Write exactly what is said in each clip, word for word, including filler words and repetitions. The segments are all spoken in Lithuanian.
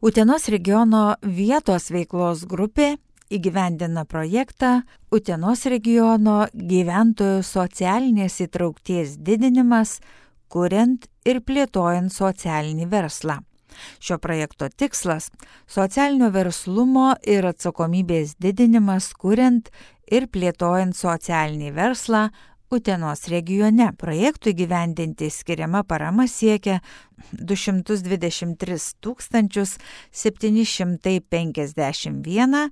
Utenos regiono vietos veiklos grupė įgyvendina projektą Utenos regiono gyventojų socialinės įtraukties didinimas, kuriant ir plėtojant socialinį verslą. Šio projekto tikslas – socialinio verslumo ir atsakomybės didinimas, kuriant ir plėtojant socialinį verslą Utenos regione. Projektui įgyvendinti skiriama parama siekia du šimtus dvidešimt tris tūkstančius septyni šimtai penkiasdešimt vieną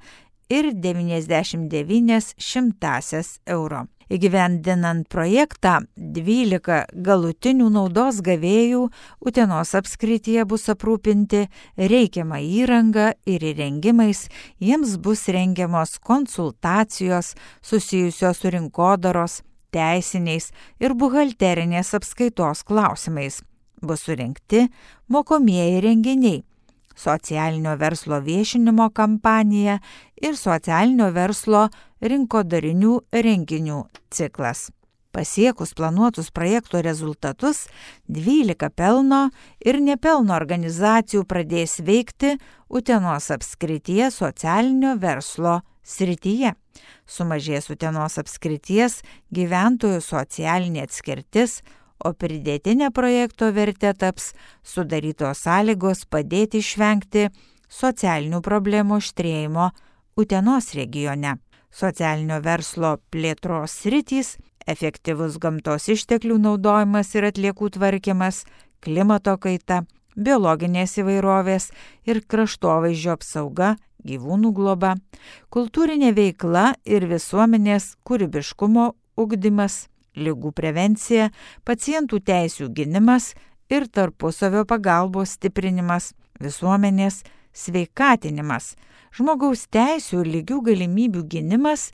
ir devyniasdešimt devynias šimtąsias euro. Įgyvendinant projektą, dvylika galutinių naudos gavėjų Utenos apskrityje bus aprūpinti reikiamą įrangą ir įrengimais, jiems bus rengiamos konsultacijos susijusios su rinkodaros, teisiniais ir buhalterinės apskaitos klausimais. Bus surinkti mokomieji renginiai, socialinio verslo viešinimo kampanija ir socialinio verslo rinkodarinių renginių ciklas. Pasiekus planuotus projekto rezultatus, dvylika pelno ir nepelno organizacijų pradės veikti Utenos apskrities socialinio verslo srityje. Sumažės Utenos apskrities gyventojų socialinė atskirtis, o pridėtinė projekto vertė taps sudarytos sąlygos padėti išvengti socialinių problemų aštrėjimo Utenos regione. Socialinio verslo plėtros sritys, efektyvus gamtos išteklių naudojimas ir atliekų tvarkymas, klimato kaita, biologinės įvairovės ir kraštovaizdžio apsauga, gyvūnų globa, kultūrinė veikla ir visuomenės kūrybiškumo ugdymas, ligų prevencija, pacientų teisių gynimas ir tarpusavio pagalbos stiprinimas, visuomenės sveikatinimas, žmogaus teisių ir lygių galimybių gynimas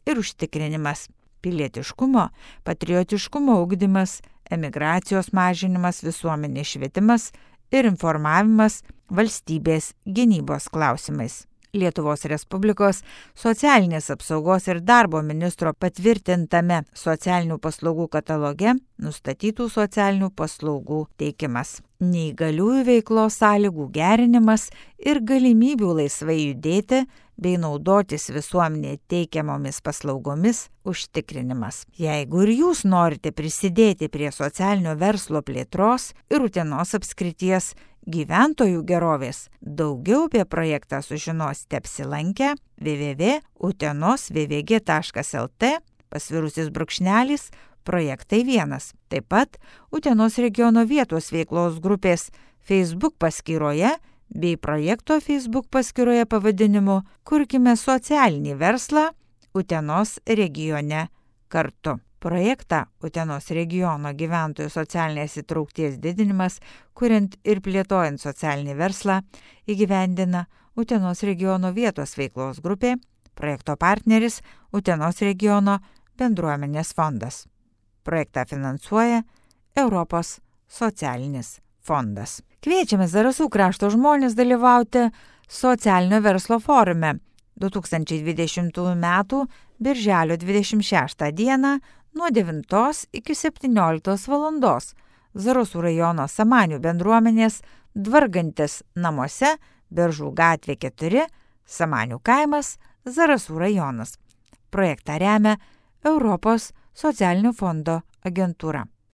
ir užtikrinimas, pilietiškumo, patriotiškumo ugdymas, emigracijos mažinimas, visuomenės švietimas ir informavimas valstybės gynybos klausimais. Lietuvos Respublikos socialinės apsaugos ir darbo ministro patvirtintame socialinių paslaugų kataloge nustatytų socialinių paslaugų teikimas, neįgaliųjų veiklos sąlygų gerinimas ir galimybių laisvai judėti bei naudotis visuomenėje teikiamomis paslaugomis užtikrinimas. Jeigu ir jūs norite prisidėti prie socialinio verslo plėtros ir Utenos apskrities gyventojų gerovės, daugiau apie projektą sužinosite apsilankę w w w taškas utenos v v g taškas l t pasvirusis brūkšnelis projektai vienas. Taip pat Utenos regiono vietos veiklos grupės Facebook paskyroje bei projekto Facebook paskyroje pavadinimu Kurkime socialinį verslą Utenos regione kartu. Projektą Utenos regiono gyventojų socialinės įtraukties didinimas, kuriant ir plėtojant socialinį verslą, įgyvendina Utenos regiono vietos veiklos grupė, projekto partneris Utenos regiono bendruomenės fondas. Projektą finansuoja Europos socialinis fondas. Kviečiame Zarasų krašto žmonės dalyvauti socialinio verslo forume du tūkstančiai dvidešimtųjų metų birželio dvidešimt šeštą dieną nuo devintos iki septynioliktos valandos Zarasų rajono Samanių bendruomenės Dvargantis namuose, Beržų gatvė keturi, Samanių kaimas, Zarasų rajonas. Projektą remia Europos socialinio fondo agentūra.